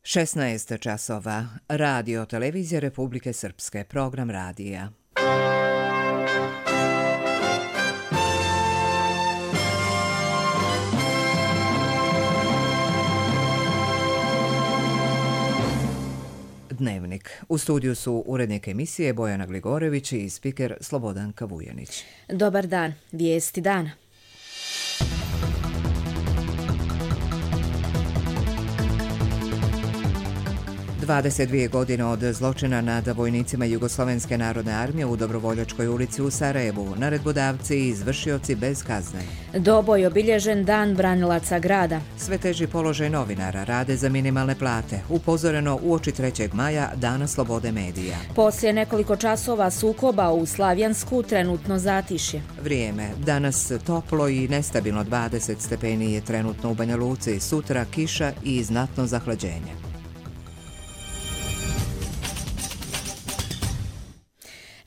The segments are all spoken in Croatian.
16 časova. Radio Televizija Republike Srpske. Program radija. Dnevnik. U studiju su urednik emisije Bojana Gligorević i spiker Slobodanka Vujanić. Dobar dan. Vijesti dana. Dvadeset dvije godine od zločina nad vojnicima Jugoslovenske narodne armije u Dobrovoljačkoj ulici u Sarajevu. Naredbodavci i izvršioci bez kazne. Doboj obilježen Dan branilaca grada. Sve teži položaj novinara, rade za minimalne plate. Upozoreno uoči 3. maja, Dana slobode medija. Poslije nekoliko časova sukoba u Slavjansku trenutno zatišje. Vrijeme. Danas toplo i nestabilno, 20 stepeni je trenutno u Banja Luci. Sutra kiša i znatno zahlađenje.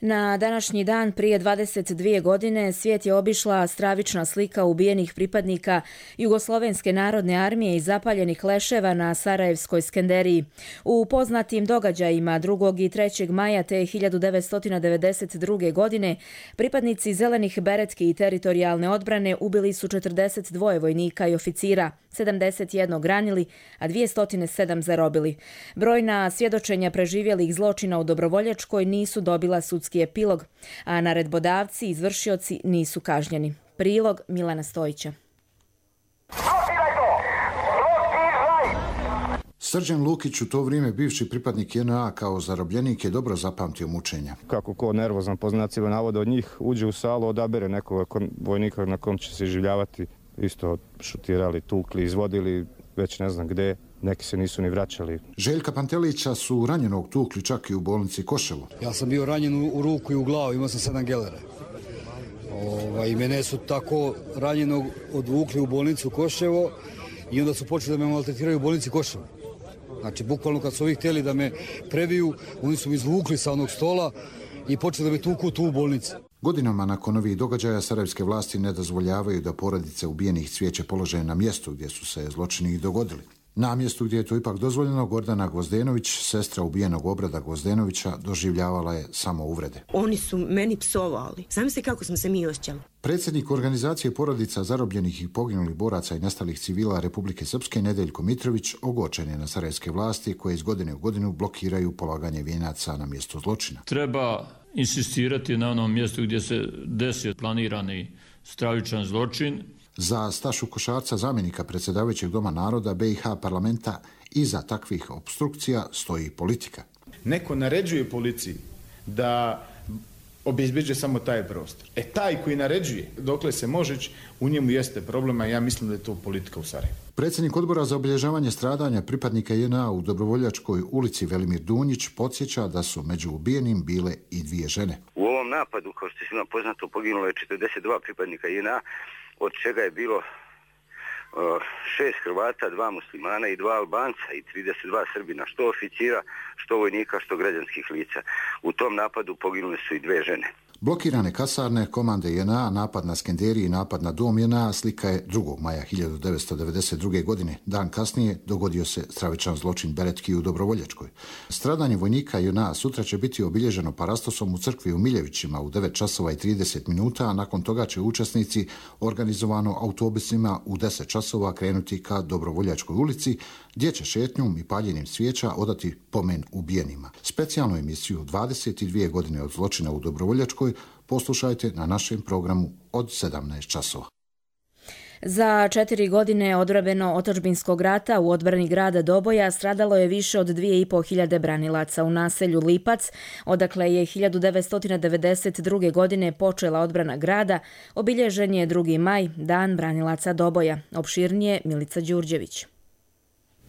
Na današnji dan prije 22 godine svijet je obišla stravična slika ubijenih pripadnika Jugoslovenske narodne armije i zapaljenih leševa na Sarajevskoj Skenderiji. U poznatim događajima 2. i 3. maja te 1992. godine pripadnici zelenih beretki i teritorijalne odbrane ubili su 42 vojnika i oficira, 71 ranili, a 207 zarobili. Brojna svjedočenja preživjelih zločina u Dobrovoljačkoj nisu dobila sudski epilog, a naredbodavci i izvršioci nisu kažnjeni. Prilog Milana Stojića. Srđan Lukić, u to vrijeme bivši pripadnik JNA, kao zarobljenik je dobro zapamtio mučenja. Kako ko nervozan, po znacima navoda, od njih uđe u salu, odabere nekog vojnika na kom će se iživljavati. Isto šutirali, tukli, izvodili, već ne znam gde. Neki se nisu ni vraćali. Željka Pantelića su ranjenog tukli čak i u bolnici Koševo. Ja sam bio ranjen u ruku i u glavu, imao sam 7 gelera. I mene su tako ranjenog odvukli u bolnicu Koševo i onda su počeli da me maltretiraju u bolnici Koševo. Znači, bukvalno kad su ovi htjeli da me prebiju, oni su mi izvukli sa onog stola i počeli da me tuku tu u bolnici. Godinama nakon ovih događaja sarajevske vlasti ne dozvoljavaju da porodice ubijenih cvijeće polože na mjestu gdje su se zločini dogodili. Na mjestu gdje je to ipak dozvoljeno, Gordana Gvozdenović, sestra ubijenog Obrada Gvozdenovića, doživljavala je samo uvrede. Oni su meni psovali. Zamislite kako smo se mi osjećali. Predsjednik organizacije porodica zarobljenih i poginulih boraca i nestalih civila Republike Srpske, Nedeljko Mitrović, ogorčen je na sarajevske vlasti koje iz godine u godinu blokiraju polaganje vijenaca na mjesto zločina. Treba insistirati na onom mjestu gdje se desio planirani stravičan zločin. Za Stašu Košarca, zamjenika predsjedavajućeg Doma naroda BiH parlamenta, iza takvih opstrukcija stoji politika. Neko naređuje policiji da obezbeđuje samo taj prostor. Taj koji naređuje, dokle se može, u njemu jeste problema, ja mislim da je to politika u Sarajevu. Predsjednik odbora za obilježavanje stradanja pripadnika JNA u Dobrovoljačkoj ulici Velimir Dunjić podsjeća da su među ubijenim bile i 2 žene. U ovom napadu, kao što je svima poznato, poginulo je 42 pripadnika JNA, od čega je bilo 6 Hrvata, 2 muslimana i 2 Albanca i 32 Srbina, što oficira, što vojnika, što građanskih lica. U tom napadu poginule su i 2 žene. Blokirane kasarne, komande JNA, napad na Skenderiji i napad na dom JNA slika je 2. maja 1992. godine. Dan kasnije dogodio se stravičan zločin beretki u Dobrovoljačkoj. Stradanje vojnika JNA sutra će biti obilježeno parastosom u crkvi u Miljevićima u 9 časova i 30 minuta, a nakon toga će učesnici organizovano autobusima u 10 časova krenuti ka Dobrovoljačkoj ulici, gdje će šetnjom i paljenjem svijeća odati pomen ubijenima. Specijalnu emisiju 22 godine od zločina u Dobrovoljačkoj poslušajte na našem programu od 17 časova. Za 4 godine odbrambeno otadžbinskog rata u odbrani grada Doboja stradalo je više od 2.500 branilaca u naselju Lipac, odakle je 1992. godine počela odbrana grada. Obilježen je 2. maj, Dan branilaca Doboja. Opširnije Milica Đurđević.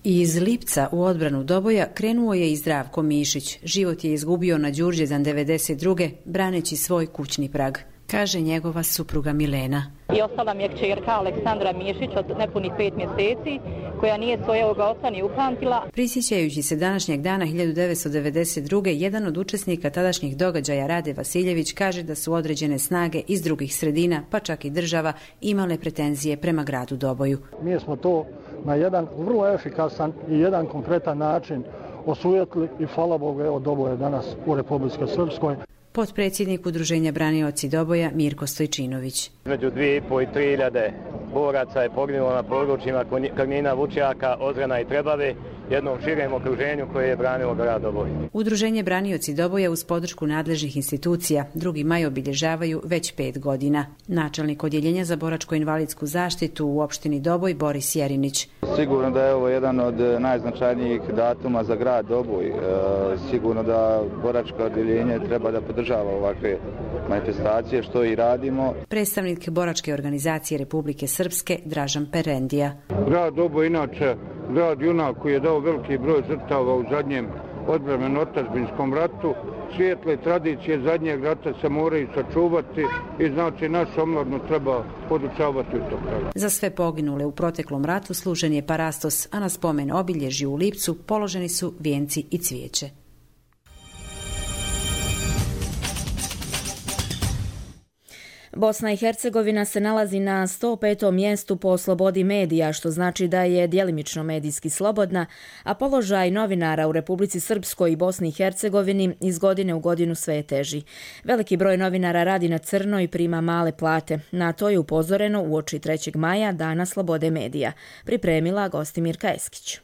Iz Lipca u odbranu Doboja krenuo je i Zdravko Mišić. Život je izgubio na Đurđezdan 92. braneći svoj kućni prag, kaže njegova supruga Milena. I ostala mi je kćerka Aleksandra Mišić od nepunih 5 mjeseci, koja nije svojevoga oca ni upamtila. Prisjećajući se današnjeg dana 1992. jedan od učesnika tadašnjih događaja, Rade Vasiljević, kaže da su određene snage iz drugih sredina, pa čak i država, imale pretenzije prema gradu Doboju. Mi smo to na jedan vrlo efikasan i jedan konkretan način osujetili i hvala Bogu, evo Doboje danas u Republike Srpskoj. Potpredsjednik Udruženja Branioci Doboja Mirko Stojčinović. Između 2.500 i 3.000 boraca je poginulo na područjima Krnina, Vučjaka, Ozrena i Trebave, jednom širem okruženju koje je branilo grad Doboj. Udruženje Branioci Doboja uz podršku nadležnih institucija 2. maj obilježavaju već 5 godina. Načelnik odjeljenja za boračko-invalidsku zaštitu u opštini Doboj Boris Jerinić. Sigurno da je ovo jedan od najznačajnijih datuma za grad Doboj. Sigurno da boračko odjeljenje treba da podržava ovakve manifestacije, što i radimo. Predstavnik boračke organizacije Republike Srpske Dražan Perendija. Grad Doboj inače grad junak koji je dao veliki broj žrtava u zadnjem odbrambeno-otadžbinskom ratu. Svijetle tradicije zadnjeg rata se moraju sačuvati i znači našu omladinu treba podučavati u tom. Za sve poginule u proteklom ratu služen je parastos, a na spomen obilježju u Lipcu položeni su vijenci i cvijeće. Bosna i Hercegovina se nalazi na 105. mjestu po slobodi medija, što znači da je djelimično medijski slobodna, a položaj novinara u Republici Srpskoj i Bosni i Hercegovini iz godine u godinu sve je teži. Veliki broj novinara radi na crno i prima male plate. Na to je upozoreno uoči 3. maja, Dana slobode medija. Pripremila Gostimirka Eskić.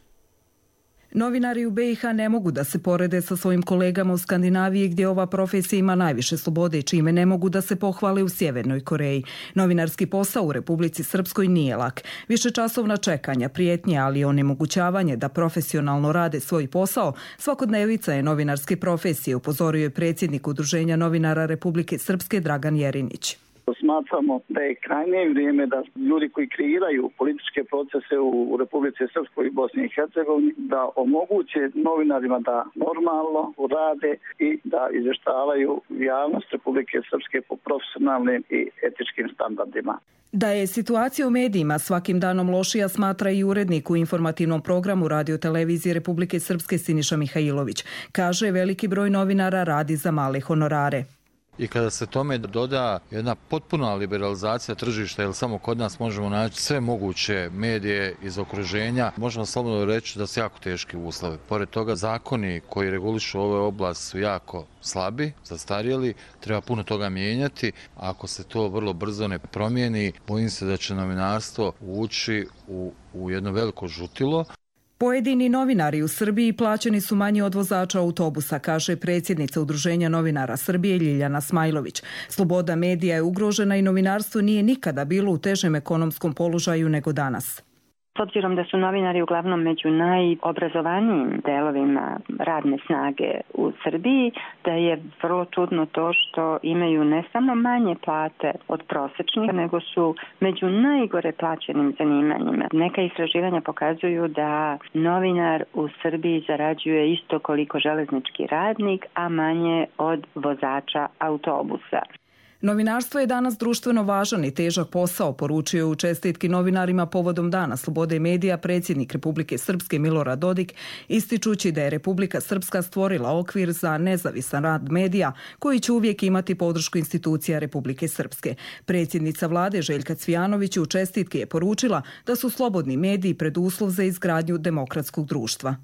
Novinari u BiH ne mogu da se porede sa svojim kolegama u Skandinaviji gdje ova profesija ima najviše slobode, čime ne mogu da se pohvale u Sjevernoj Koreji. Novinarski posao u Republici Srpskoj nije lak. Višečasovna čekanja, prijetnje, ali i onemogućavanje da profesionalno rade svoj posao, svakodnevica je novinarske profesije, upozorio je predsjednik Udruženja novinara Republike Srpske Dragan Jerinić. Smatramo da je krajnje vrijeme da ljudi koji kreiraju političke procese u Republici Srpskoj i Bosni i Hercegovini da omoguće novinarima da normalno rade i da izvještavaju javnost Republike Srpske po profesionalnim i etičkim standardima. Da je situacija u medijima svakim danom lošija smatra i urednik u informativnom programu radiotelevizije Republike Srpske Siniša Mihajlović. Kaže, veliki broj novinara radi za male honorare. I kada se tome doda jedna potpuna liberalizacija tržišta, jer samo kod nas možemo naći sve moguće medije iz okruženja, možemo slobodno reći da su jako teški uslovi. Pored toga, zakoni koji regulišu ove oblasti su jako slabi, zastarjeli, treba puno toga mijenjati. Ako se to vrlo brzo ne promijeni, bojim se da će novinarstvo ući u jedno veliko žutilo. Pojedini novinari u Srbiji plaćeni su manje od vozača autobusa, kaže predsjednica Udruženja novinara Srbije Ljiljana Smajlović. Sloboda medija je ugrožena i novinarstvo nije nikada bilo u težem ekonomskom položaju nego danas. S obzirom da su novinari uglavnom među najobrazovanijim delovima radne snage u Srbiji, da je vrlo čudno to što imaju ne samo manje plate od prosječnih, nego su među najgore plaćenim zanimanjima. Neka istraživanja pokazuju da novinar u Srbiji zarađuje isto koliko železnički radnik, a manje od vozača autobusa. Novinarstvo je danas društveno važan i težak posao, poručio je u čestitki novinarima povodom Dana slobode medija predsjednik Republike Srpske Milorad Dodik, ističući da je Republika Srpska stvorila okvir za nezavisan rad medija koji će uvijek imati podršku institucija Republike Srpske. Predsjednica vlade Željka Cvijanović u čestitki je poručila da su slobodni mediji preduslov za izgradnju demokratskog društva.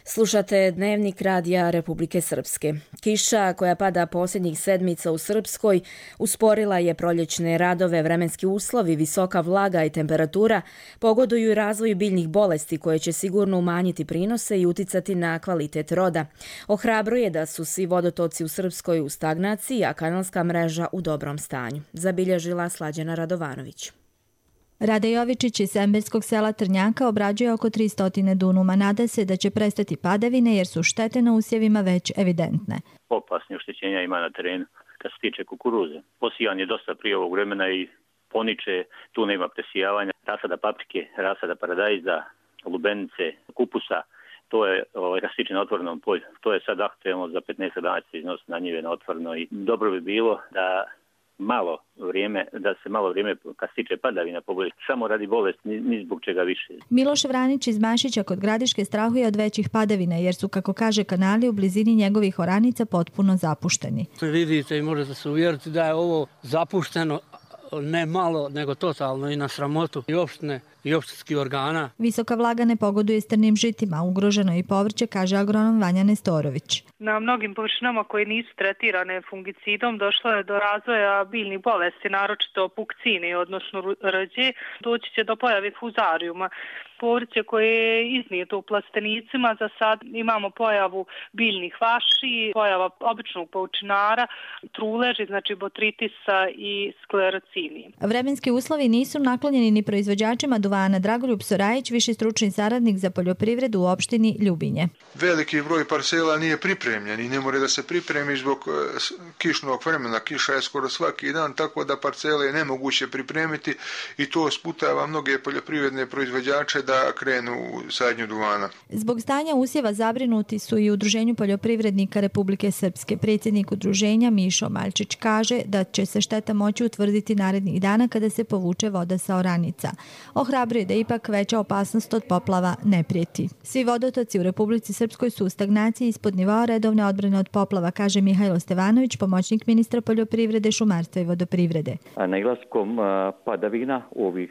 Slušate Dnevnik radija Republike Srpske. Kiša koja pada posljednjih sedmica u Srpskoj usporila je proljećne radove, vremenski uslovi, visoka vlaga i temperatura pogoduju i razvoju biljnih bolesti koje će sigurno umanjiti prinose i uticati na kvalitet roda. Ohrabruje da su svi vodotoci u Srpskoj u stagnaciji, a kanalska mreža u dobrom stanju, zabilježila Slađana Radovanović. Rade Jovičić iz Semberskog sela Trnjaka obrađuje oko 300 dunuma. Nada se da će prestati padavine jer su štete na usjevima već evidentne. Opasnih oštećenja ima na terenu. Kad se tiče kukuruze, posijan je dosta prije ovog vremena i poniče, tu nema presijavanja. Rasada paprike, rasada paradajza, lubenice, kupusa, to je rastiče na otvorenom polju. To je sad aktuelno za 15 dana se iznosi na njive na otvoreno i dobro bi bilo da se malo vrijeme kad se tiče padavina pobolje, samo radi bolesti, ni zbog čega više. Miloš Vranić iz Mašića kod Gradiške strahuje od većih padavina jer su, kako kaže, kanali u blizini njegovih oranica potpuno zapušteni. Vidite i možete se uvjeriti da je ovo zapušteno ne malo, nego totalno i na sramotu i opštine i opštinskih organa. Visoka vlaga ne pogoduje strnim žitima, ugroženo je i povrće, kaže agronom Vanja Nestorović. Na mnogim površinama koje nisu tretirane fungicidom došlo je do razvoja biljnih bolesti, naročito pukcini, odnosno rđe. Doći će do pojave fuzarijuma. Povrće koje je iznijeto u plastenicima, za sad imamo pojavu biljnih vaši, pojava običnog paučinara, truleži, znači botritisa i sklerocinije. Vremenski uslovi nisu naklonjeni ni proizvođačima duvana. Dragoljub Sorajić, viši stručni saradnik za poljoprivredu u opštini Ljubinje. Veliki broj parcela nije pripremljen i ne more da se pripremi zbog kišnog vremena. Kiša je skoro svaki dan, tako da parcele je nemoguće pripremiti i to sputava mnoge poljoprivredne proizvođače da krenu u sadnju duvana. Zbog stanja usjeva zabrinuti su i u Udruženju poljoprivrednika Republike Srpske. Predsjednik udruženja Mišo Maljčić kaže da će se šteta moći utvrditi narednih dana kada se povuče voda sa oranica. Ohrabruje da ipak veća opasnost od poplava ne prijeti. Svi vodotoci u Republici Srpskoj su u stagnaciji ispod nivoa redovne odbrane od poplava, kaže Mihajlo Stevanović, pomoćnik ministra poljoprivrede, šumarstva i vodoprivrede. Naglaskom padavina u ovih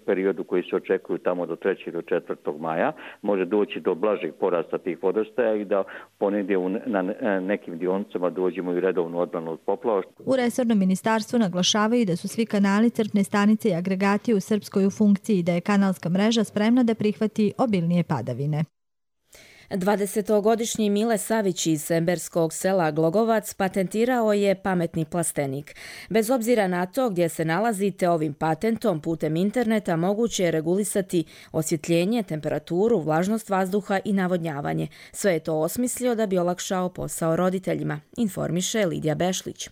periodu koji se očekuju tamo do 3. do 4. maja može doći do blažeg porasta tih vodostaja i da ponegdje na nekim dionicama dođemo i redovnu odbranu od poplava. U resornom ministarstvu naglašavaju da su svi kanali, crpne stanice i agregati u Srpskoj u funkciji i da je kanalska mreža spremna da prihvati obilnije padavine. 20-godišnji Mile Savić iz semberskog sela Glogovac patentirao je pametni plastenik. Bez obzira na to gdje se nalazite, ovim patentom putem interneta moguće je regulisati osvjetljenje, temperaturu, vlažnost vazduha i navodnjavanje. Sve je to osmislio da bi olakšao posao roditeljima, informiše Lidija Bešlić.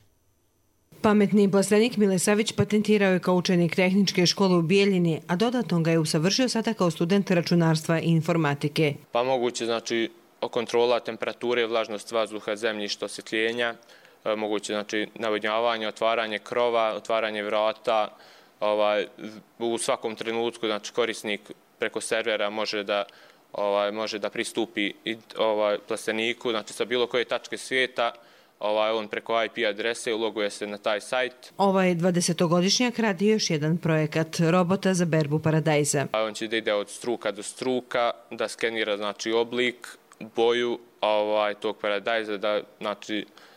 Pametni plastenik Mile Savić patentirao je kao učenik tehničke škole u Bijeljini, a dodatno ga je usavršio sada kao student računarstva i informatike. Pa moguće znači kontrola temperature, vlažnost vazduha, zemljišta, osvjetljenja, moguće znači navodnjavanje, otvaranje krova, otvaranje vrata. U svakom trenutku znači korisnik preko servera može da pristupi plasteniku, znači sa bilo koje tačke svijeta. On preko IP adrese uloguje se na taj sajt. Ovaj 20-godišnjak radi još jedan projekat robota za berbu paradajza. On će da ide od struka do struka, da skenira znači oblik, boju tog paradajza,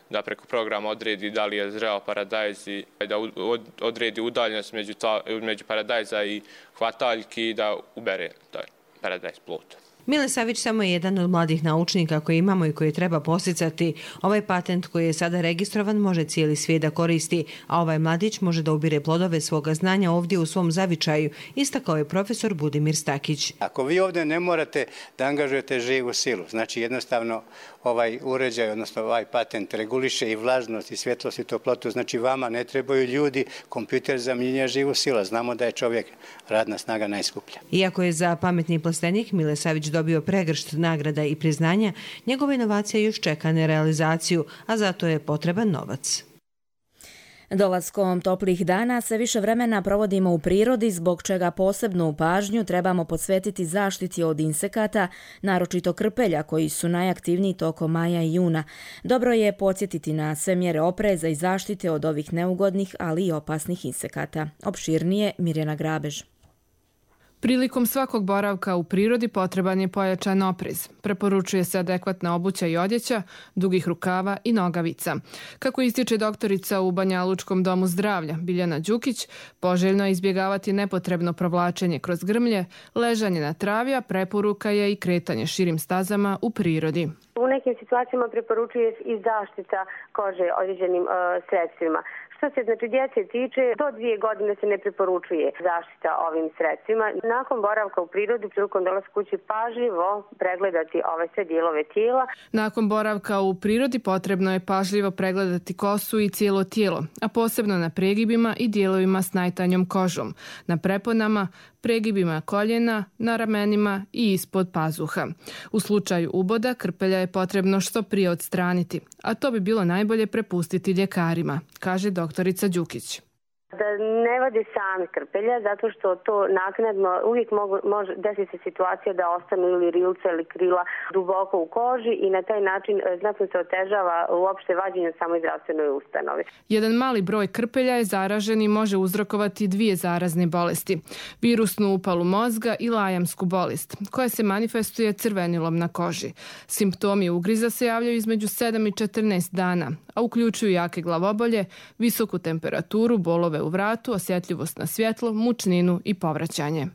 da preko programa odredi da li je zreo paradajz i da odredi udaljenost među paradajza i hvataljki i da ubere taj paradajz plod. Mile Savić samo je jedan od mladih naučnika koje imamo i koje treba posticati. Ovaj patent koji je sada registrovan može cijeli svijet da koristi, a ovaj mladić može da ubire plodove svoga znanja ovdje u svom zavičaju, istakao je profesor Budimir Stakić. Ako vi ovdje ne morate da angažujete živu silu, znači jednostavno ovaj uređaj, odnosno ovaj patent reguliše i vlažnost i svjetlost i toplotu, znači vama ne trebaju ljudi, kompjuter zamjenjuje živu silu. Znamo da je čovjek radna snaga najskuplja. Iako je za pametni plastenik Mile Savić dobio pregršt nagrada i priznanja, njegova inovacija još čeka na realizaciju, a zato je potreban novac. Dolaskom toplih dana sve više vremena provodimo u prirodi, zbog čega posebnu pažnju trebamo posvetiti zaštiti od insekata, naročito krpelja koji su najaktivniji tokom maja i juna. Dobro je podsjetiti na sve mjere opreza i zaštite od ovih neugodnih, ali i opasnih insekata. Opširnije Mirjana Grabež. Prilikom svakog boravka u prirodi potreban je pojačan oprez. Preporučuje se adekvatna obuća i odjeća, dugih rukava i nogavica. Kako ističe doktorica u Banjalučkom domu zdravlja Biljana Đukić, poželjno je izbjegavati nepotrebno provlačenje kroz grmlje, ležanje na travi, a preporuka je i kretanje širim stazama u prirodi. U nekim situacijama preporučuje i zaštita kože određenim sredstvima. Što se znači djece tiče, do 2 godine se ne preporučuje zaštita ovim sredstvima. Nakon boravka u prirodi, prilikom dolaska kući, pažljivo pregledati ove sve dijelove tijela. Nakon boravka u prirodi potrebno je pažljivo pregledati kosu i cijelo tijelo, a posebno na pregibima i dijelovima s najtanjom kožom, na preponama, pregibima koljena, na ramenima i ispod pazuha. U slučaju uboda krpelja je potrebno što prije odstraniti, a to bi bilo najbolje prepustiti ljekarima, kaže doktorica Đukić. Da ne vade sami krpelja, zato što to naknadno uvijek može desiti se situacija da ostanu ili rilce ili krila duboko u koži i na taj način znatno se otežava uopšte vađenje u samoj zdravstvenoj ustanovi. Jedan mali broj krpelja je zaražen i može uzrokovati 2 zarazne bolesti. Virusnu upalu mozga i lajamsku bolest, koja se manifestuje crvenilom na koži. Simptomi ugriza se javljaju između 7 i 14 dana, a uključuju jake glavobolje, visoku temperaturu, bolove u vratu, osjetljivost na svjetlo, mučninu i povraćanje.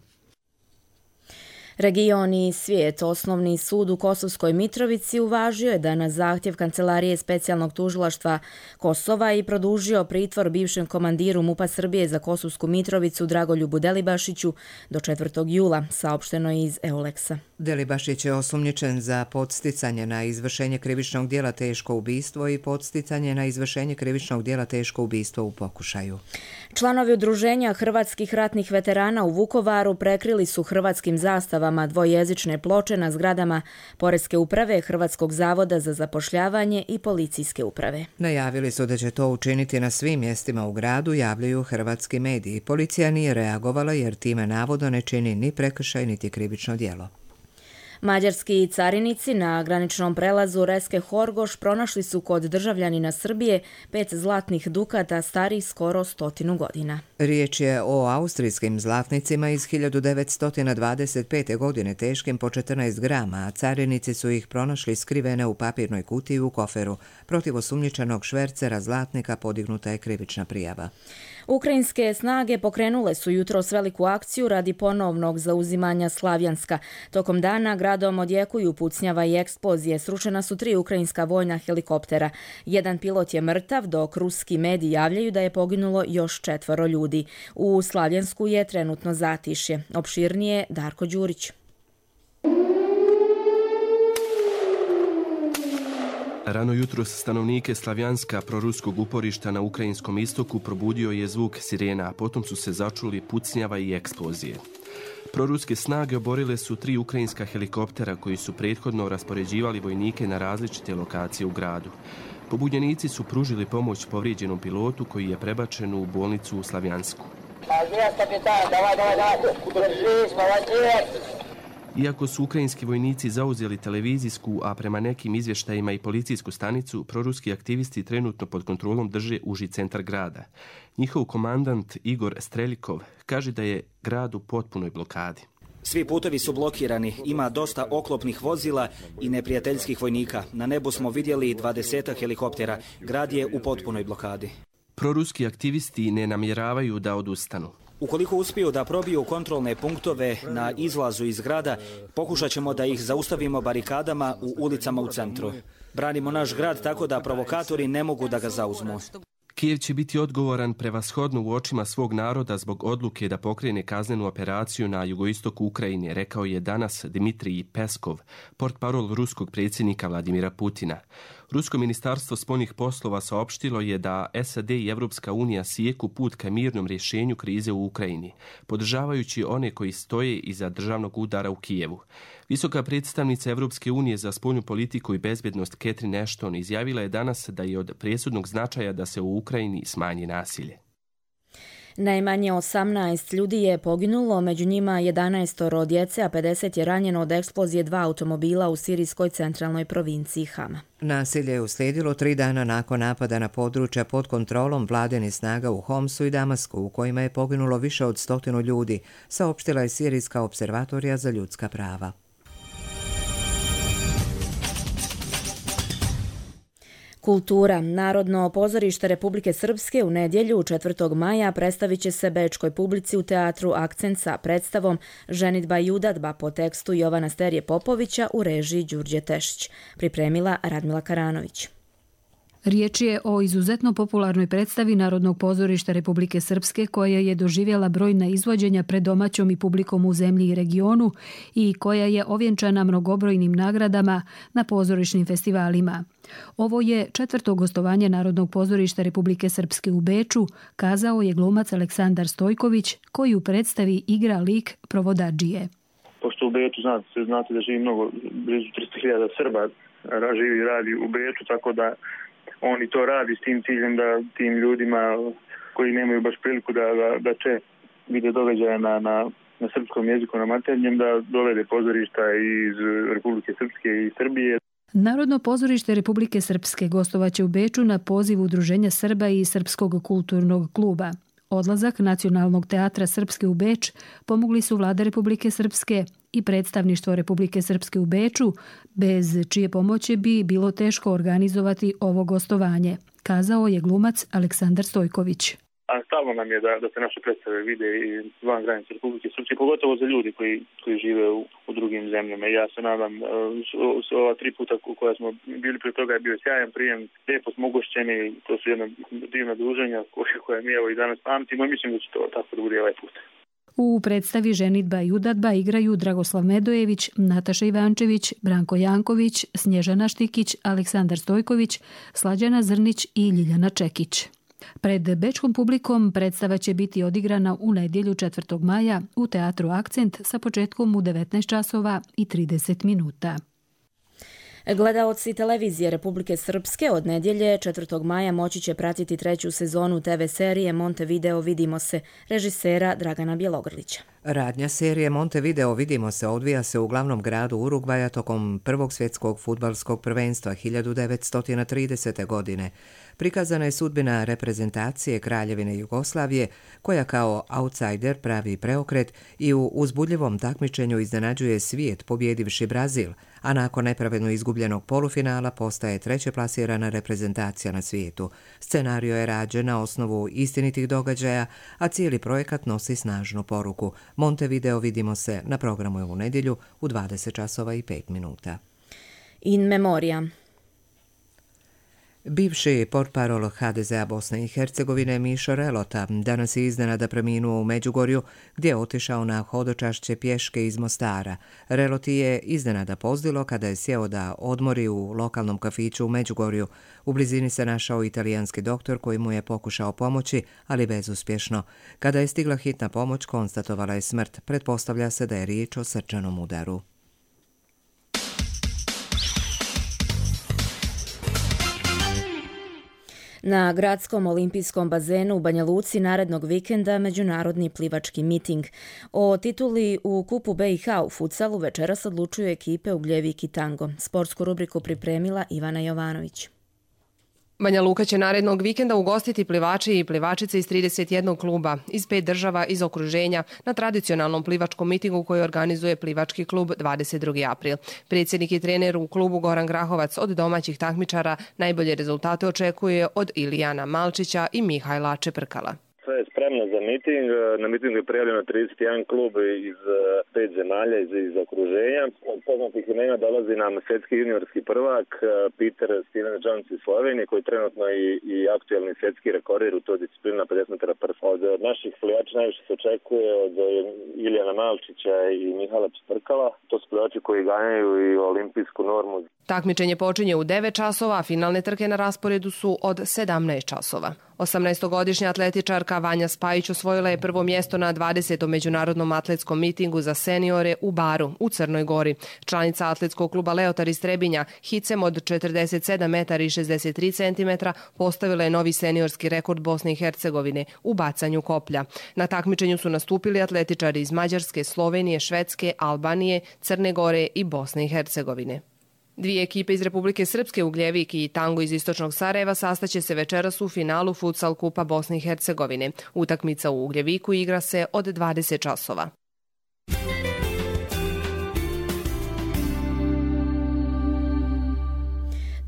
Region i svijet. Osnovni sud u Kosovskoj Mitrovici uvažio je da na zahtjev Kancelarije specijalnog tužilaštva Kosova i produžio pritvor bivšem komandiru MUP-a Srbije za Kosovsku Mitrovicu Dragoljubu Delibašiću do 4. jula, saopšteno iz Eulexa. Delibašić je osumnjičen za podsticanje na izvršenje krivičnog djela teško ubistvo i podsticanje na izvršenje krivičnog djela teško ubistvo u pokušaju. Članovi Udruženja hrvatskih ratnih veterana u Vukovaru prekrili su hrvatskim zastavama dvojezične ploče na zgradama Poreske uprave, Hrvatskog zavoda za zapošljavanje i policijske uprave. Najavili su da će to učiniti na svim mjestima u gradu, javljaju hrvatski mediji. Policija nije reagovala jer time navodno ne čini ni prekršaj niti krivično djelo. Mađarski carinici na graničnom prelazu Reske Horgoš pronašli su kod državljanina Srbije 5 zlatnih dukata starih skoro 100 godina. Riječ je o austrijskim zlatnicima iz 1925. godine teškim po 14 grama, a carinici su ih pronašli skrivene u papirnoj kutiji u koferu. Protiv osumnjičenog švercera zlatnika podignuta je krivična prijava. Ukrajinske snage pokrenule su jutros veliku akciju radi ponovnog zauzimanja Slavjanska. Tokom dana gradom odjekuju pucnjava i eksplozije. Srušena su 3 ukrajinska vojna helikoptera. Jedan pilot je mrtav, dok ruski mediji javljaju da je poginulo još 4 ljudi. U Slavjansku je trenutno zatišje. Opširnije Darko Đurić. Rano jutros stanovnike Slavjanska proruskog uporišta na ukrajinskom istoku probudio je zvuk sirena, a potom su se začuli pucnjava i eksplozije. Proruske snage oborile su 3 ukrajinska helikoptera koji su prethodno raspoređivali vojnike na različite lokacije u gradu. Pobunjenici su pružili pomoć povrijeđenom pilotu koji je prebačen u bolnicu u Slavjansku. Iako su ukrajinski vojnici zauzeli televizijsku, a prema nekim izvještajima i policijsku stanicu, proruski aktivisti trenutno pod kontrolom drže uži centar grada. Njihov komandant Igor Streljkov kaže da je grad u potpunoj blokadi. Svi putovi su blokirani, ima dosta oklopnih vozila i neprijateljskih vojnika. Na nebu smo vidjeli 20 helikoptera. Grad je u potpunoj blokadi. Proruski aktivisti ne namjeravaju da odustanu. Ukoliko uspiju da probiju kontrolne punktove na izlazu iz grada, pokušat ćemo da ih zaustavimo barikadama u ulicama u centru. Branimo naš grad tako da provokatori ne mogu da ga zauzmu. Kijev će biti odgovoran prevashodno u očima svog naroda zbog odluke da pokrene kaznenu operaciju na jugoistoku Ukrajine, rekao je danas Dmitrij Peskov, portparol ruskog predsjednika Vladimira Putina. Rusko ministarstvo spoljnih poslova saopštilo je da SAD i Evropska unija sijeku put ka mirnom rješenju krize u Ukrajini, podržavajući one koji stoje iza državnog udara u Kijevu. Visoka predstavnica Evropske unije za spoljnu politiku i bezbjednost Catherine Ashton izjavila je danas da je od presudnog značaja da se u Ukrajini smanji nasilje. Najmanje 18 ljudi je poginulo, među njima 11 djece, a 50 je ranjeno od eksplozije 2 automobila u sirijskoj centralnoj provinciji Hama. Nasilje je uslijedilo 3 dana nakon napada na područja pod kontrolom vladinih snaga u Homsu i Damasku, u kojima je poginulo više od 100 ljudi, saopštila je Sirijska observatorija za ljudska prava. Kultura. Narodno pozorište Republike Srpske u nedjelju 4. maja predstavit će se bečkoj publici u teatru Akcent sa predstavom Ženidba i udadba po tekstu Jovana Sterije Popovića u režiji Đurđe Tešić. Pripremila Radmila Karanović. Riječ je o izuzetno popularnoj predstavi Narodnog pozorišta Republike Srpske koja je doživjela brojna izvođenja pred domaćom i publikom u zemlji i regionu i koja je ovjenčana mnogobrojnim nagradama na pozorišnim festivalima. Ovo je 4. gostovanje Narodnog pozorišta Republike Srpske u Beču, kazao je glumac Aleksandar Stojković koji u predstavi igra lik provodadžije. Pošto u Beču znate da živi mnogo, blizu 300.000 Srba, živi i radi u Beču, tako da oni to radi s tim ciljem da tim ljudima koji nemaju baš priliku da često vide događaja na srpskom jeziku na maternjem, da dovede pozorišta iz Republike Srpske i Srbije. Narodno pozorište Republike Srpske gostovaće u Beču na poziv Udruženja Srba i Srpskog kulturnog kluba. Odlazak Nacionalnog teatra Srpske u Beč pomogli su Vlada Republike Srpske i predstavništvo Republike Srpske u Beču, bez čije pomoći bi bilo teško organizovati ovo gostovanje, kazao je glumac Aleksandar Stojković. A stalno nam je da se naše predstave vide i van granica Republike Srpske, pogotovo za ljudi koji žive u drugim zemljama. Ja se nadam, ova 3 puta koja smo bili prije toga je bio sjajan prijem, lijepo smo ugošćeni, to su jedna divna druženja koja mi evo i danas pamtimo i mislim da će to tako da bude ovaj put. U predstavi Ženidba i udadba igraju Dragoslav Medojević, Nataša Ivančević, Branko Janković, Snježana Štikić, Aleksandar Stojković, Slađana Zrnić i Ljiljana Čekić. Pred bečkom publikom predstava će biti odigrana u nedjelju 4. maja u Teatru Akcent sa početkom u 19 časova i 30 minuta. Gledaoci televizije Republike Srpske od nedjelje 4. maja moći će pratiti 3. sezonu TV serije Montevideo Vidimo se, režisera Dragana Bjelogrlića. Radnja serije Montevideo Vidimo se odvija se u glavnom gradu Urugvaja tokom Prvog svjetskog fudbalskog prvenstva 1930. godine. Prikazana je sudbina reprezentacije Kraljevine Jugoslavije, koja kao outsider pravi preokret i u uzbudljivom takmičenju iznenađuje svijet pobjedivši Brazil, a nakon nepravedno izgubljenog polufinala postaje 3. plasirana reprezentacija na svijetu. Scenario je rađen na osnovu istinitih događaja, a cijeli projekat nosi snažnu poruku. Montevideo Vidimo se na programu je u nedjelju u 20 časova i 5 minuta. In memoriam. Bivši portparol HDZ-a Bosne i Hercegovine Mišo Relota danas je iznenada preminuo u Međugorju gdje je otišao na hodočašće pješke iz Mostara. Reloti je iznenada pozdilo kada je sjeo da odmori u lokalnom kafiću u Međugorju. U blizini se našao italijanski doktor koji mu je pokušao pomoći, ali bezuspješno. Kada je stigla hitna pomoć, konstatovala je smrt. Pretpostavlja se da je riječ o srčanom udaru. Na gradskom olimpijskom bazenu u Banja Luci narednog vikenda međunarodni plivački miting. O tituli u Kupu BiH u futsalu večeras odlučuju ekipe Ugljevik i Tango. Sportsku rubriku pripremila Ivana Jovanović. Banja Luka će narednog vikenda ugostiti plivači i plivačice iz 31 kluba iz 5 država iz okruženja na tradicionalnom plivačkom mitingu koji organizuje plivački klub 22. april. Predsjednik i trener u klubu Goran Grahovac od domaćih takmičara najbolje rezultate očekuje od Ilijana Malčića i Mihajla Čeprkala. Sve je spremno za miting. Na mitingu je prijavljeno 31 klub iz 5 zemalja iz okruženja. Od poznatih imena dolazi nam svjetski juniorski prvak Peter Steven Jones iz Slovenije, koji je trenutno i aktualni svjetski rekorder u toj disciplini na 50 metara prsa. Od naših plivača najviše se očekuje od Ilijana Malčića i Mihala Čeprkala. To su plivači koji ganjaju i olimpijsku normu. Takmičenje počinje u 9 časova, a finalne trke na rasporedu su od 17 časova. 18-godišnja atletičarka Vanja Spajić osvojila je prvo mjesto na 20. međunarodnom atletskom mitingu za seniore u Baru, u Crnoj Gori. Članica atletskog kluba Leotar iz Trebinja hicem od 47 metara i 63 cm postavila je novi seniorski rekord Bosne i Hercegovine u bacanju koplja. Na takmičenju su nastupili atletičari iz Mađarske, Slovenije, Švedske, Albanije, Crne Gore i Bosne i Hercegovine. 2 ekipe iz Republike Srpske, Ugljevik i Tango iz istočnog Sarajeva, sastaće se večeras u finalu futsal kupa Bosne i Hercegovine. Utakmica u Ugljeviku igra se od 20 časova.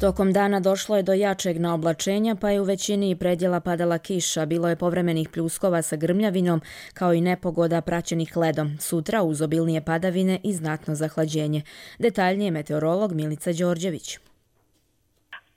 Tokom dana došlo je do jačeg naoblačenja, pa je u većini predjela padala kiša. Bilo je povremenih pljuskova sa grmljavinom, kao i nepogoda praćenih ledom. Sutra uz obilnije padavine i znatno zahlađenje. Detaljnije meteorolog Milica Đorđević.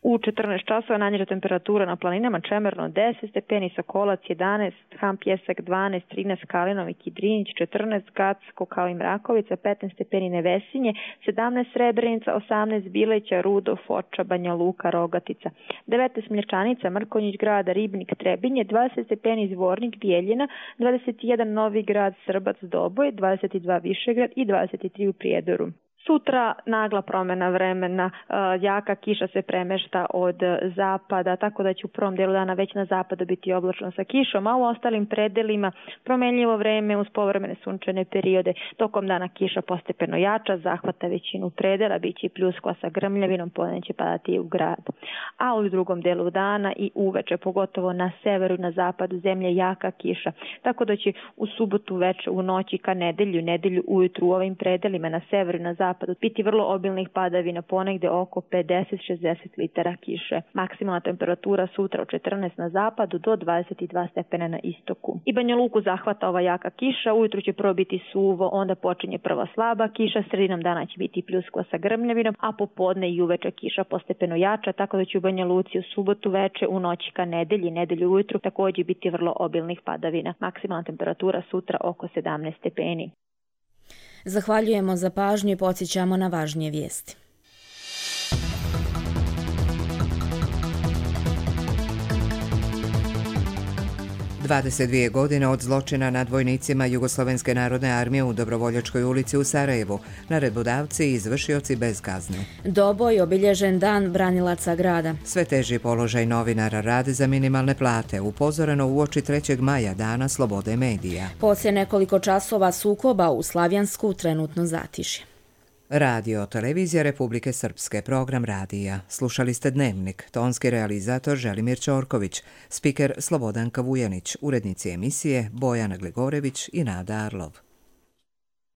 U 14 časova najniža temperatura na planinama Čemerno 10 stepeni, Sokolac 11, Ham Pjesak 12, 13 Kalinovik i Drinć, 14 Gacko kao i Mrakovica, 15 stepeni Nevesinje, 17 Srebrenica, 18 Bileća, Rudo, Foča, Banja Luka, Rogatica, 19 Mlječanica, Mrkonjić grada, Ribnik, Trebinje, 20 stepeni Zvornik, Bijeljina, 21 Novi grad, Srbac, Doboj, 22 Višegrad i 23 u Prijedoru. Sutra nagla promjena vremena, jaka kiša se premešta od zapada, tako da će u prvom dijelu dana već na zapadu biti oblačno sa kišom, a u ostalim predelima promenljivo vreme uz povremene sunčane periode. Tokom dana kiša postepeno jača, zahvata većinu predela, bit će i pljuskova sa grmljavinom, ponedjeljkom će padati i u grad. A u drugom dijelu dana i uveče, pogotovo na severu i na zapadu zemlje, jaka kiša, tako da će u subotu veče, u noći ka nedelju ujutru u ovim predelima na severu i na zapadu biti vrlo obilnih padavina, ponegde oko 50-60 litara kiše. Maksimalna temperatura sutra od 14 na zapadu do 22 stepena na istoku. I Banja Luku zahvata ova jaka kiša, ujutru će prvo biti suvo, onda počinje prva slaba kiša, sredinom dana će biti pljuskova sa grmljavinom, a popodne i uveče kiša postepeno jača, tako da će u Banja Luci u subotu veče, u noći ka nedelju ujutru također biti vrlo obilnih padavina. Maksimalna temperatura sutra oko 17 stepeni. Zahvaljujemo za pažnju i podsjećamo na važnije vijesti. ...22 godine od zločina nad vojnicima Jugoslovenske narodne armije u Dobrovoljačkoj ulici u Sarajevu, naredbodavci i izvršioci bez kazne. Doboj obilježen dan branilaca grada. Sve teži položaj novinara, rade za minimalne plate, upozoreno uoči 3. maja, dana slobode medija. Poslije nekoliko časova sukoba u Slavjansku trenutno zatišje. Radio Televizija Republike Srpske, program radija. Slušali ste Dnevnik, tonski realizator Želimir Ćorković, spiker Slobodanka Vujanić, urednici emisije Bojana Glegorević i Nada Arlov.